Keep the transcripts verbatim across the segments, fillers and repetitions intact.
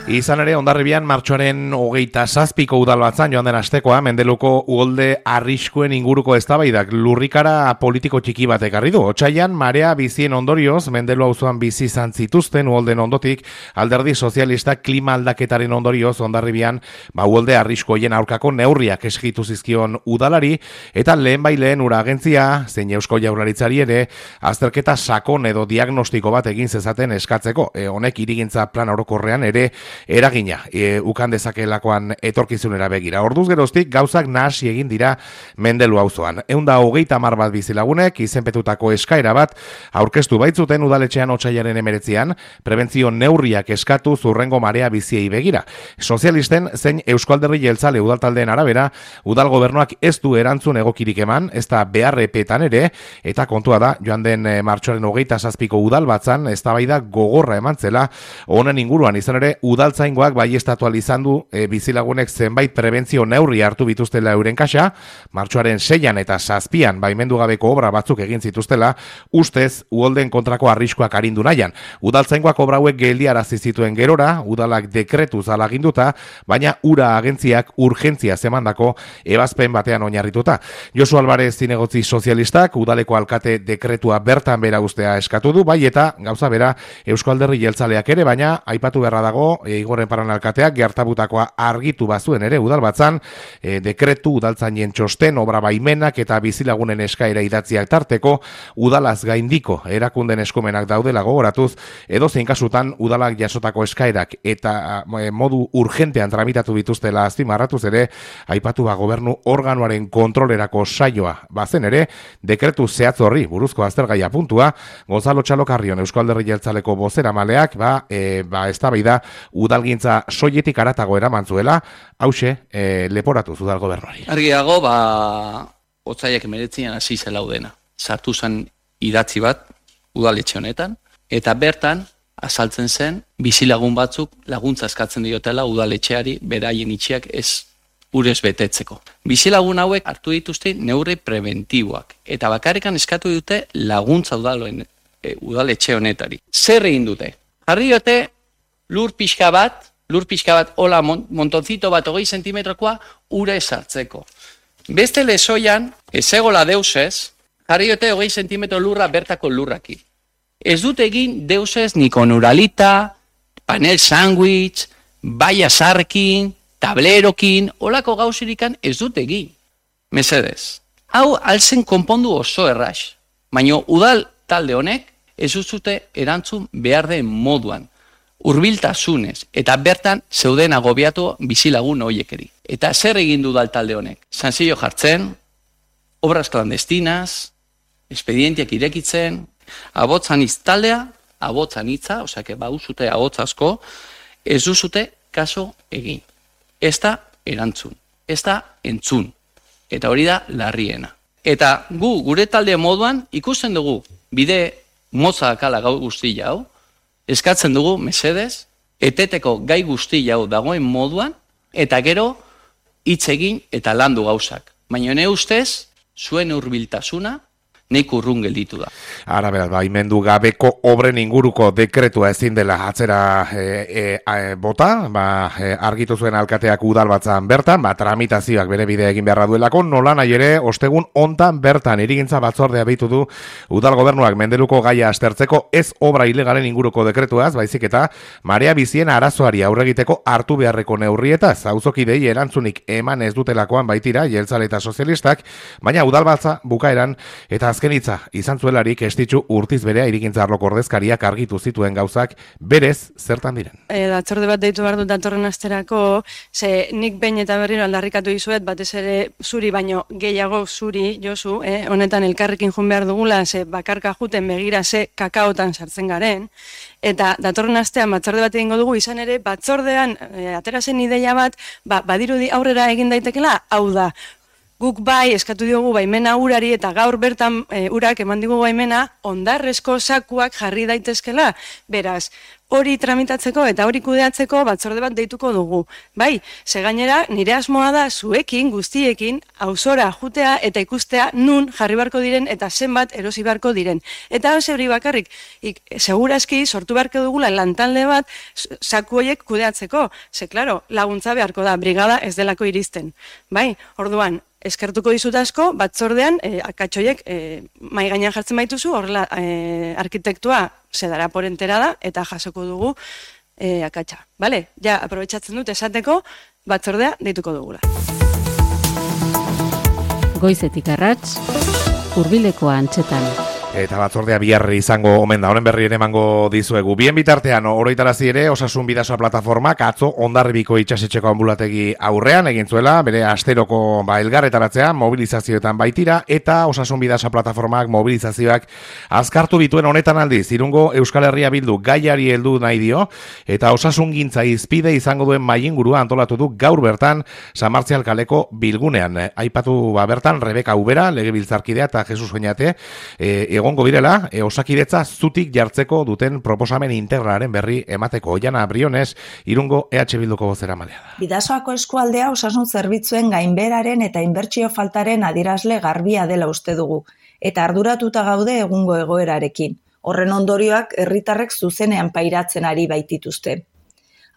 Izan ere, Hondarribian martxoaren hogeita zazpiko udalbatzan joan den astekoa, Mendeluko uholde arriskuen inguruko eztabaidak lurrikara politiko txiki batek ekarri du. Otsailean marea bizien ondorioz, Mendelu auzoan bizi izan zituzten uholden ondotik, Alderdi Sozialistak klima aldaketaren ondorioz Hondarribian ba uholde arriskoien aurkako neurriak eskitu zizkion udalari, eta lehen bai lehen ura agentzia, zein Eusko Jaurlaritzari ere, azterketa sakon edo diagnostiko bat egin zezaten eskatzeko. E, honek hirigintza plan orokorrean ere eragina e, ukan dezakelakoan etorkizunera begira. Orduz geroztik gauzak nahasi egin dira Mendelu auzoan. Ehun eta hogeita hamar bat bizilagunek izenpetutako eskaera bat aurkeztu baitzuten udaletxean otsailaren hemeretzian, prebentzio neurriak eskatu zurrengo marea biziei begira. Sozialisten zein Eusko Alderdi Jeltzale udaltaldeen arabera, udal gobernuak ez du erantzun egokirik eman, ez da beharrepetan ere, eta kontua da, joan den e, martxoaren hogeita zazpiko udal batzan, eztabaida gogorra eman zela, honen inguruan izan ere, udaltzaingoak baiestatu izan du e, bizilagunek zenbait prebentzio neurri hartu bituztela euren kaxa, martxoaren seian eta zazpian baimendu gabeko obra batzuk egin zituztela, ustez uholden kontrako arriskoak arindu nahian. Udaltzaingoak obra hauek geldiarazi zituen gerora, udalak dekretuz alaginduta, baina ura agentziak urgentzia zemandako ebazpen batean oinarrituta. Josu Alvarez zinegotzi sozialistak udaleko alkate dekretua bertan bera ustea eskatu du, bai eta gauza bera Eusko Alderdi Jeltzaleak ere, baina aipatu beharra dago e, Igorren Paran alkateak gertabutakoa argitu bazuen ere udalbatzan, e, dekretu udaltzainen txosten, obra baimenak eta bizilagunen eskaera idatziak tarteko, udalaz gaindiko erakunden eskumenak daudela gogoratuz, edo zein kasutan udalak jasotako eskaerak eta e, modu urgentean tramitatu bituztela azpimarratuz ere, aipatu ba gobernu organoaren kontrolerako saioa bazen ere, dekretu zehatz horri buruzko aztergaia puntua, Gonzalo Txalokarrion Eusko Alderdi Jeltzaleko bozeramaleak ba, e, ba eztabaida udalgintza soiletik aratago eraman zuela, hause e, leporatu udal gobernuari. Argiago, ba, otsaiak hemeretzian hasi zela udena. Sartu zen idatzi bat udaletxe honetan, eta bertan azaltzen zen bizilagun batzuk laguntza eskatzen diotela udaletxeari beraien itxiak ez urez betetzeko. Bizilagun hauek hartu dituzte neurri preventiboak, eta bakarrikan eskatu dute laguntza udaloen, e, udaletxe honetari. Zer egin dute? Jarri dute lur pixka bat, lur pixka bat, hola montonzito bat hogei sentimetrokoa ura esartzeko. Beste lezoian, ez egola deusez, jarri dute hogei sentimetro lurra bertako lurraki. Ez dute egin deusez ni konuralita, panel sandwich, baia sarkin, tablerokin, holako gauzirikan ez dute egin. Mesedez. Hau alzen konpondu oso erraz. Baina udal talde honek ez dute erantzun behar den moduan, hurbiltasunez, eta bertan zeuden agobiatu bizilagun horiekeri. Eta zer egin du udal talde honek? Zanzillo jartzen, obras clandestinas, expedientiak irekitzen, abotzan iztaldea, abotzan hitza, osea, ba uzute abotz asko, ez duzute kaso egin. Ez da erantzun, ez da entzun, eta hori da larriena. Eta gu, gure talde moduan, ikusten dugu, bide motza akala gau guzti jau, eskatzen dugu, mesedez, eteteko gai guzti jau dagoen moduan, eta gero, hitz egin eta landu gauzak. Baina ne ustez, zuen hurbiltasuna, neik urrun gelditu da. Ara beraz, baimendu gabeko obren inguruko dekretua ezin dela atzera e, e, e, bota, ba, e, argitu zuen alkateak udal batzan bertan, ba, tramitazioak bere bidea egin beharra duelako, nola nahi ere, ostegun hontan bertan irigintza batzordea bitu du udal gobernuak Mendeluko gaia aztertzeko ez obra ilegalen inguruko dekretuaz, baizik eta marea bizien arazoari aurregiteko hartu beharreko neurrietaz, auzokidei erantzunik eman ez dutelakoan baitira, Jeltzale eta sozialistak, baina udal batza bukaeran eta azken hitza izan zuelarik estitzu urtiz berea irigintza arloko ordezkariak argitu zituen gauzak berez zertan diren. E, datzorde bat deitu behar dut datorren asterako, ze nik behin eta berriro aldarrikatu dizuet, batez ere zuri baino gehiago zuri, Josu, eh, honetan elkarrekin jun behar dugula, ze bakarka juten begira ze kakaotan sartzen garen, eta datorren astean batzorde bat egingo dugu, izan ere batzordean e, atera zen ideia bat, ba, badirudi aurrera egin daitekela, hau da, Guk bai, eskatu diogu baimena urari eta gaur bertan e, urak eman digu baimena ondarrezko sakuak jarri daitezkela. Beraz, hori tramitatzeko eta hori kudeatzeko batzorde bat deituko dugu. Bai, ze gainera nire asmoa da zuekin, guztiekin, auzora jutea eta ikustea nun jarri barko diren eta zenbat erosi barko diren. Eta hau hori bakarrik, ik, segurazki sortu beharko dugula lantalde bat saku horiek kudeatzeko. Ze, klaro, laguntza beharko da, brigada ez delako iristen. Bai, orduan, eskertuko dizut asko, batzordean, e, akatxoiek e, mai gainean jartzen baituzu, horrela e, arkitektua zedara por enterada, eta jasoko dugu e, akatxa. Bale, ja, aprobetxatzen dut esateko, batzordea deituko dugula. Goizetik arrats, hurbileko antxetan. Eta batzordea biharri izango omen da, honen berri ere emango dizuegu. Bien bitartean, oroitarazi ere, Osasun Bidasoa plataformak atzo Hondarribiko itsasetxeko anbulategi aurrean egin zuela, bere asteroko ba, elgarretaratzea, mobilizazioetan baitira, eta Osasun Bidasoa plataformak mobilizazioak azkartu bituen honetan aldiz, Irungo Euskal Herria Bildu gaiari heldu nahi dio, eta osasungintza izpide izango duen mailingurua antolatu du gaur bertan San Martzial kaleko bilgunean. Aipatu ba, bertan Rebeka Ubera, legebiltzarkidea eta Jesus Oñate, e, egongo direla, e, osakidetza zutik jartzeko duten proposamen integralaren berri emateko. Oiana Briones, Irungo E H Bilduko bozeramalea da. Bidasoako eskualdea osasun zerbitzuen gainberaren eta inbertsio faltaren adierazle garbia dela uste dugu, eta arduratuta gaude egungo egoerarekin. Horren ondorioak herritarrek zuzenean pairatzen ari baitituzte.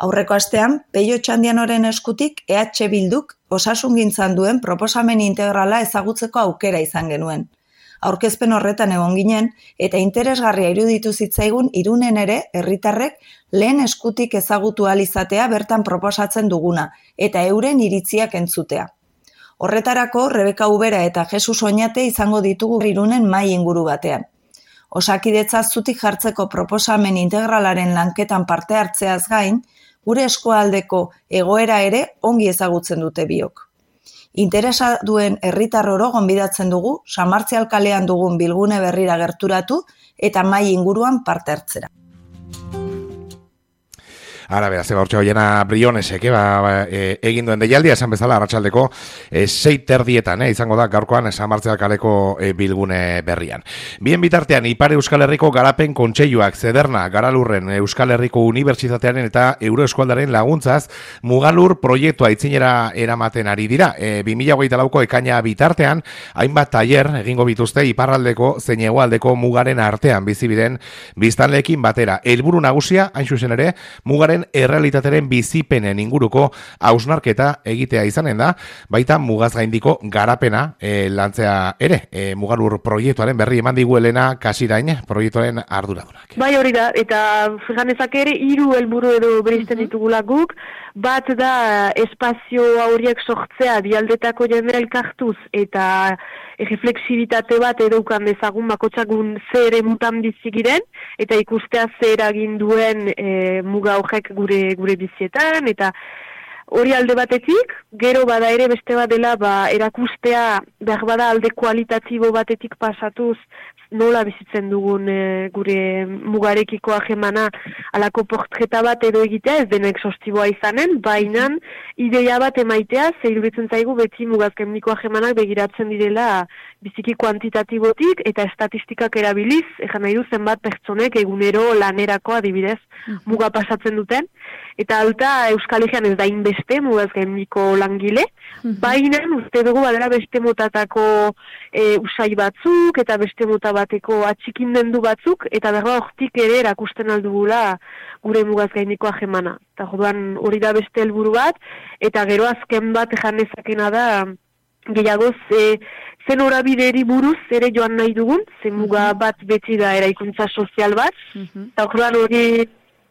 Aurreko astean, Peio Txandianoren eskutik E H Bilduk osasungintzan duen proposamen integrala ezagutzeko aukera izan genuen. Aurkezpen horretan egon ginen, eta interesgarria iruditu zitzaigun Irunen ere herritarrek lehen eskutik ezagutu ahal izatea bertan proposatzen duguna, eta euren iritziak entzutea. Horretarako, Rebeka Ubera eta Jesus Oñate izango ditugu Irunen mahai inguru batean. Osakidetza zutik jartzeko proposamen integralaren lanketan parte hartzeaz gain, gure eskualdeko egoera ere ongi ezagutzen dute biok. Interesa duen herritar oro gonbidatzen dugu, San Martzial kalean dugun bilgune berrira gerturatu eta mahai inguruan parte hartzera. Ara, beraz, eba hortxe Oiana Brionesek, ba, ba, e, egin duen deialdia, esan bezala, arratsaldeko e, sei terdietan, e, izango da, gaurkoan, San Martzial kaleko e, bilgune berrian. Bien bitartean, Ipar Euskal Herriko Garapen Kontseiluak, Zederna, Garalurren, Euskal Herriko Unibertsitatearen eta Euroeskualdaren laguntzaz, Mugalur proiektua itzinera eramaten ari dira. E, bi mila hogeita lauko ekaina bitartean, hainbat tailer egingo bituzte Iparraldeko zein hegoaldeko mugaren artean bizibiren biztanleekin batera. Helburu nagusia, hain zuzen ere, mugaren errealitateren bizipenen inguruko hausnarketa egitea izanen da, baita mugaz gaindiko garapena e, lantzea ere. E, Mugalur proiektuaren berri eman digu Elena Kasirain, proiektuaren arduradunak. Bai, hori da, eta ganezak ere hiru helburu edo berizten ditugula guk, bat da espazio horiek sortzea bialdetako jendera elkartuz eta refleksibitate bat edukan dezagun bakotxakun ze ere mutan bizigiren eta ikustea ze eragin duen e, muga horrek gure gure bizietan eta hori alde batetik, gero bada ere beste bat dela ba, erakustea behar bada alde kualitatibo batetik pasatuz nola bizitzen dugun e, gure mugarekiko ahemana alako portreta bat edo egitea ez denek sostiboa izanen, baina ideia bat emaitea, zeiruditzen zaigu beti mugazkenbiko ahemanak begiratzen direla biziki kuantitatibotik eta estatistikak erabiliz, ejan nahi du zenbat pertsonek egunero lanerako adibidez muga pasatzen duten, eta alta Euskal Herrian ez da inbeste mugazkenbiko langile, baina uste dugu badera beste motatako e, usai batzuk eta beste mota bateko atxikindendu batzuk, eta berba hortik ere erakusten aldugula gure mugazgainiko ahemana. Eta joduan hori da beste helburu bat, eta gero azken bat ejan nezakena da gehiagoz e, zen horabideri buruz ere joan nahi dugun, zen muga bat beti da eraikuntza sozial bat, eta joduan hori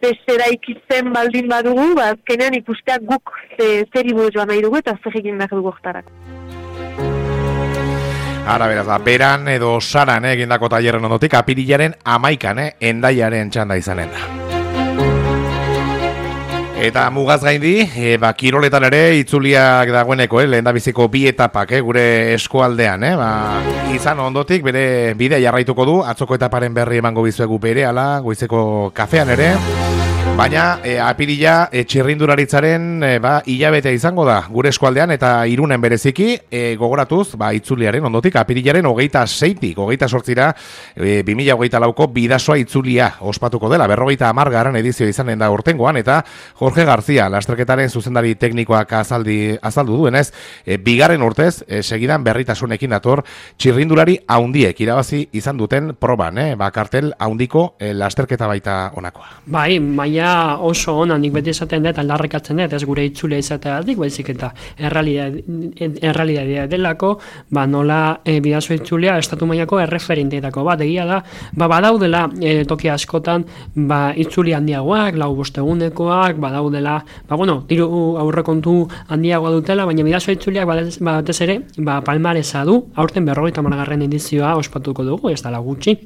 beste eraikitzen baldin badugu, ba, azkenean ikusteak guk ze, zeri buruz joan nahi dugu eta zer egin behar dugu oktarak. Ara, beraz, da, beran edo saran eh, egindako tailerren ondotik, apirilaren amaikan, eh, endaiaren txanda izanen da. Eta mugaz gaindi, e, ba, kiroletan ere itzuliak dagoeneko, eh, lehen da biziko bi etapak, eh, gure eskualdean, eh, ba, izan ondotik, bere bidea jarraituko du, atzoko etaparen berri emango bizuegu bere, ala, goizeko kafean ere. Baina e, apirila e, txirrindularitzaren e, ba, hilabetea izango da gure eskualdean eta Irunen bereziki e, gogoratuz ba, itzuliaren ondotik apirilaren hogeita seitik, hogeita sortzira e, bi mila hogeita lauko bidasoa itzulia ospatuko dela, berrogeita hamargarren edizio izanen da urtengoan eta Jorge García, lasterketaren zuzendari teknikoak azaldi, azaldu duenez, e, bigarren urtez e, segidan berritasunekin dator txirrindulari haundiek irabazi izan duten proban, eh? Ba, kartel haundiko e, lasterketa baita honakoa. Bai, maia oso ona, nik beti esaten dut, aldarrikatzen dut, ez gure itzulea izateatik, baizik eta errealidadea delako, ba nola e, bidazo itzulea estatu mailako erreferenteetako bat, egia da, ba badaudela e, toki askotan, ba itzuli handiagoak, lau bostegunekoak, badaudela, ba bueno, diru aurrekontu handiagoa dutela, baina bidazo itzuleak batez ere, ba palmaresa du, aurten berrogeita hamargarren edizioa ospatuko dugu, ez dela gutxi,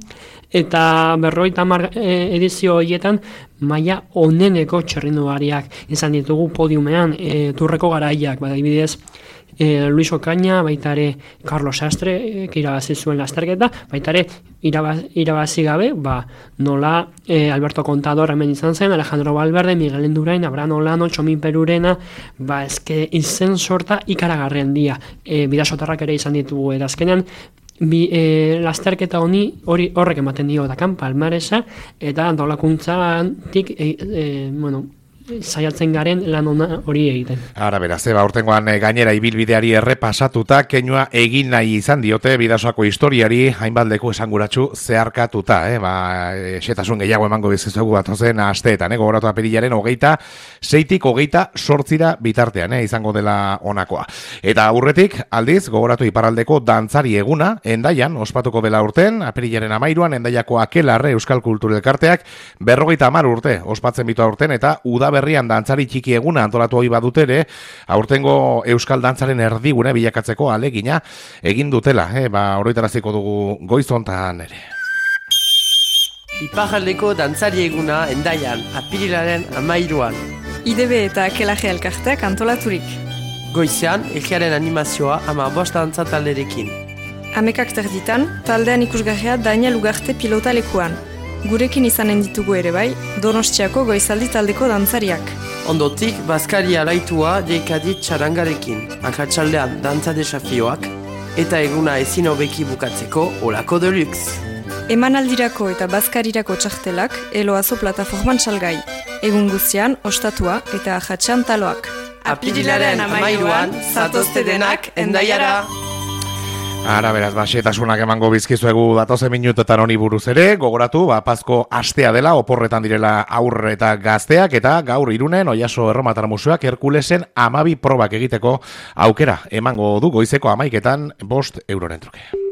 eta berrogeita hamar edizio horietan maila oneneko txirrindulariak izan ditugu podiumean, e, turreko garaiak, badibidez e, Luis Ocaña, baita ere Carlos Sastre, e, irabazi zuen lasterketa, baita ere irabaz, irabazi gabe, ba, nola e, Alberto Contador hemen izan zen, Alejandro Valverde, Miguel Endurain, Abraham Olano, Txomin Perurena, ba, eske izen sorta ikaragarren dia, e, bidasotarrak ere izan ditugu, eta azkenean, Bi, e, lasterketa honi hori horrek ematen dio dakan palmaresa eta antolakuntzatik e, e, bueno, saiatzen garen lan ona hori egiten. Ara beraz, eba, urtengoan gainera ibilbideari errepasatuta, keinua egin nahi izan diote bidasoako historiari hainbat leku esanguratsu zeharkatuta, eh? Ba, xetasun gehiago emango bizizuegu bat ozen asteetan, eh? Gogoratu apirilaren hogeita seitik hogeita sortzira bitartean, eh? Izango dela honakoa. Eta aurretik, aldiz, gogoratu iparraldeko dantzari eguna, Endaian, ospatuko dela urten, apirilaren amairuan, Endaiako Akelarre Euskal Kulturelkarteak berrogeita hamar urte ospatzen bitu aurten, eta uda berrian dantzari txiki eguna antolatu hori badutere, aurtengo euskal dantzaren erdigune bilakatzeko alegina egin dutela, eh? Ba, oroitaraziko dugu goizontan ere. Iparraldeko dantzari eguna Endaian, apirilaren amairuan. I D B eta Akelarre elkarteak antolaturik. Goizean, egiaren animazioa ama bost dantza talderekin. Hamekak terditan, taldean ikusgarria Daniel Ugarte pilota lekuan. Gurekin izanen ditugu ere bai, Donostiako goizaldi taldeko dantzariak. Ondotik, Baskari alaitua deikadit txarangarekin, akatsaldean dantza desafioak, eta eguna ezin hobeki bukatzeko olako deluxe. Emanaldirako eta Baskarirako txartelak, eloazo plataforman salgai. Egun guztian, ostatua eta ajatxan taloak. Apirilaren amairuan, zatozte denak Endaiara! Ara, beraz, baxetasunak emango bizkizuegu datozen minutetan honi buruz ere, gogoratu, ba, Pazko astea dela, oporretan direla aurre eta gazteak, eta gaur Irunen, Oiaso Erromatar Museoak Herkulesen amabi probak egiteko aukera emango du goizeko hamaiketan bost euroren truke.